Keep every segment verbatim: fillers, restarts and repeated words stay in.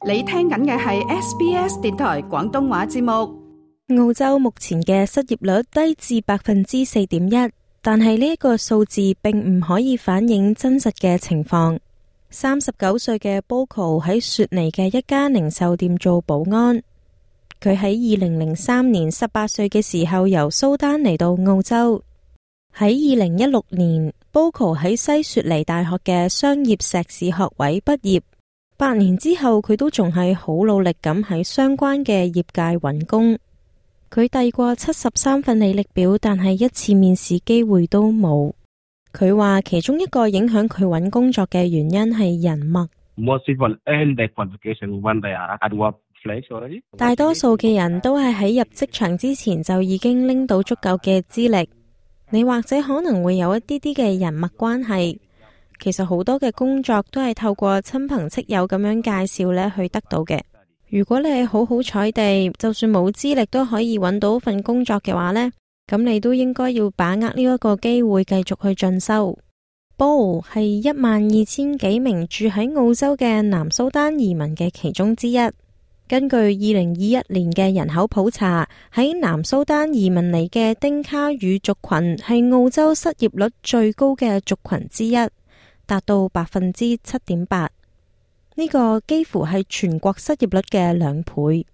你聽緊嘅係 S B S 電台廣東話節目。澳洲目前嘅失業率低至百分之四點一，但係呢一個數字並唔可以反映真實嘅情況。三十九歲嘅 Boko 喺雪梨嘅一家零售店做保安。佢喺二零零三年十八歲嘅時候由蘇丹嚟到澳洲。喺二零一六年 Boko 喺西雪梨大學嘅商業碩士學位畢業。八年之後，佢都仲係好努力咁喺相關嘅業界揾工。佢遞過七十三份履歷表，但係一次面試機會都冇。佢話其中一個影響佢揾工作嘅原因係人脈。大多數嘅人都係喺入職場之前就已經拎到足夠嘅資歷。你或者可能會有一啲啲嘅人脈關係。其實好多嘅工作都係透過親朋戚友咁樣介紹咧去得到嘅。如果你係好好彩地，就算冇資歷都可以揾到份工作嘅話呢，咁你都應該要把握呢一個機會繼續去進修。Bo 係一萬二千幾名住喺澳洲嘅南蘇丹移民嘅其中之一。根據二零二一年嘅人口普查，喺南蘇丹移民嚟嘅丁卡語族群係澳洲失業率最高嘅族群之一。達到百分之七點八，呢個幾乎係全國失業率嘅兩倍。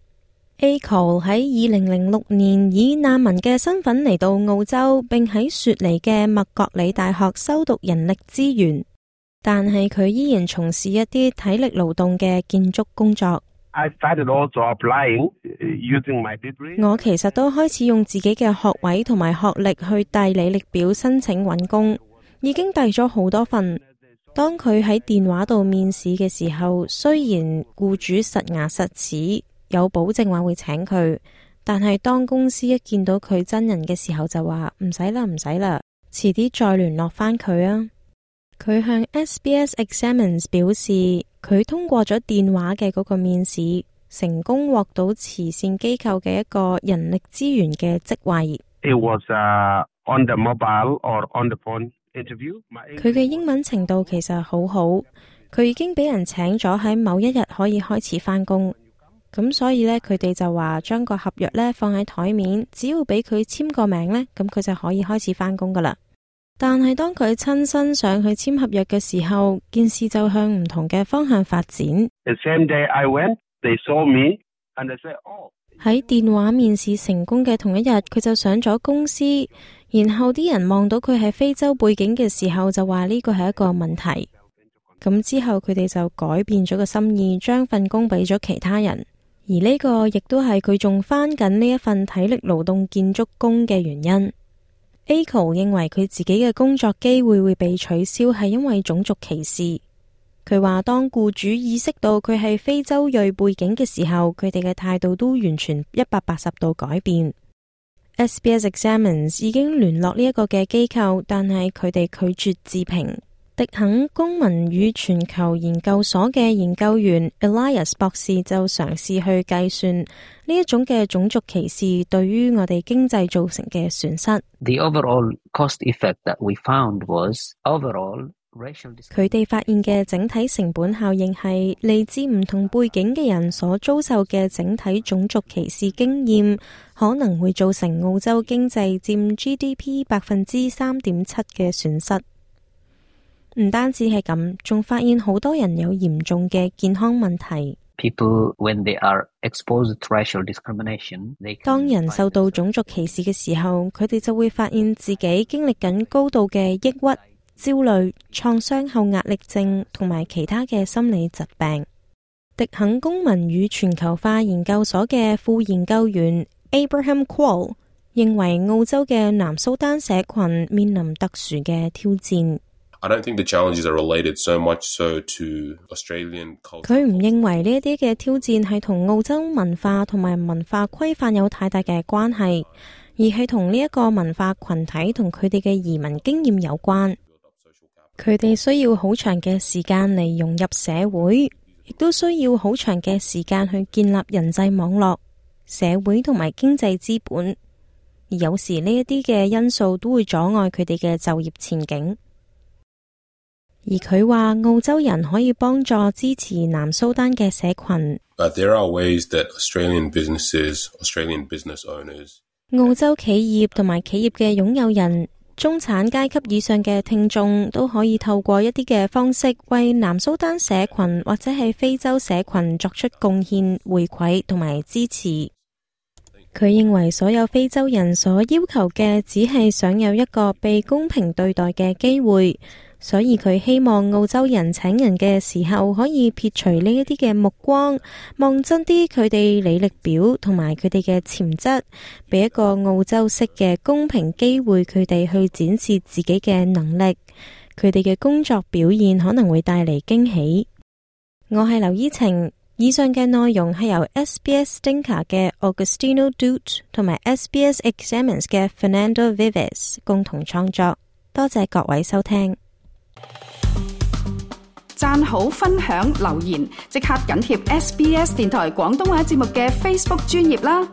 Aiko 喺二零零六年以難民嘅身份嚟到澳洲，並喺雪梨嘅麥覺理大學修讀人力資源，但係佢依然從事一啲體力勞動嘅建築工作。I started also applying, using my degree. 我其實都開始用自己嘅學位同埋學歷去遞履歷表申請揾工，已經遞咗好多份。當佢喺電話度面試嘅時候，雖然僱主實牙實齒有保證話會請佢，但係當公司一見到佢真人嘅時候就話唔使啦唔使啦，遲啲再聯絡返佢啊。佢向 S B S Examines 表示，佢通過咗電話嘅嗰個面試，成功獲到慈善機構嘅一個人力資源嘅職位。It was, uh, on the mobile or on the phone.佢嘅英文程度其實好好，佢已經俾人請咗喺某一日可以開始返工，咁所以呢，佢哋就話將個合約呢放喺台面，只要俾佢簽個名呢，咁佢就可以開始返工噶啦。但係當佢親身上去簽合約嘅時候，件事就向唔同嘅方向發展。The same day I went, they saw me and they said, "Oh." 喺電話面試成功嘅同一日，佢就上咗公司。然後啲人望到佢係非洲背景嘅時候，就話呢個係一個問題。咁之後佢哋就改變咗個心意，將份工俾咗其他人。而呢個亦都係佢仲返緊呢一份體力勞動建築工嘅原因。Aiko 認為佢自己嘅工作機會會被取消係因為種族歧視。佢話當僱主意識到佢係非洲裔背景嘅時候，佢哋嘅態度都完全一百八十度改變。S B S Examines 已經聯絡呢一個嘅機構，但係佢哋拒絕置評。迪肯公民與全球研究所嘅研究員 Elias 博士就嘗試去計算呢一種嘅種族歧視對於我哋經濟造成嘅損失。The overall cost effect that we found was overall racial discrimination. 佢哋發現嘅整體成本效應係嚟自唔同背景嘅人所遭受嘅整體種族歧視經驗，可能會造成澳洲經濟佔 G D P 百分之三點七嘅損失。唔單止係咁，仲發現好多人有嚴重嘅健康問題。People, when they are exposed to racial discrimination, they can... 當人受到種族歧視嘅時候，佢哋就會發現自己經歷緊高度嘅抑鬱、焦慮、創傷後壓力症同埋其他嘅心理疾病。迪肯公民與全球化研究所嘅副研究員 Abraham Quall 認為澳洲嘅南蘇丹社群面臨特殊嘅挑戰。I don't think the challenges are related so much so to Australian culture. 佢唔認為呢一啲嘅挑戰係同澳洲文化同埋文化規範有太大嘅關係，而係同呢一個文化群體同佢哋嘅移民經驗有關。佢哋需要好長嘅時間嚟融入社會，亦都需要好長嘅時間去建立人際網絡、社會同埋經濟資本。而有時呢一啲嘅因素都會阻礙佢哋嘅就業前景。而佢話澳洲人可以幫助支持南蘇丹嘅社群。But there are ways that Australian businesses, Australian business owners, 澳洲企業同埋企業嘅擁有人、中產階級以上嘅聽眾都可以透過一啲嘅方式為南蘇丹社群或者係非洲社群作出貢獻、回饋同埋支持。佢認為所有非洲人所要求嘅只係想有一個被公平對待嘅機會，所以佢希望澳洲人請人嘅時候可以撇除呢一啲嘅目光，望真啲佢哋履歷表同埋佢哋嘅潛質，俾一個澳洲式嘅公平機會佢哋去展示自己嘅能力，佢哋嘅工作表現可能會帶嚟驚喜。我係劉依晴，以上嘅內容係由 S B S Dinka 嘅 Augustino Dut 同埋 S B S Examines 嘅 Fernando Vives 共同創作，多謝各位收聽。讚好、分享、留言，即刻緊貼 S B S 電台廣東話節目嘅 Facebook 專頁啦！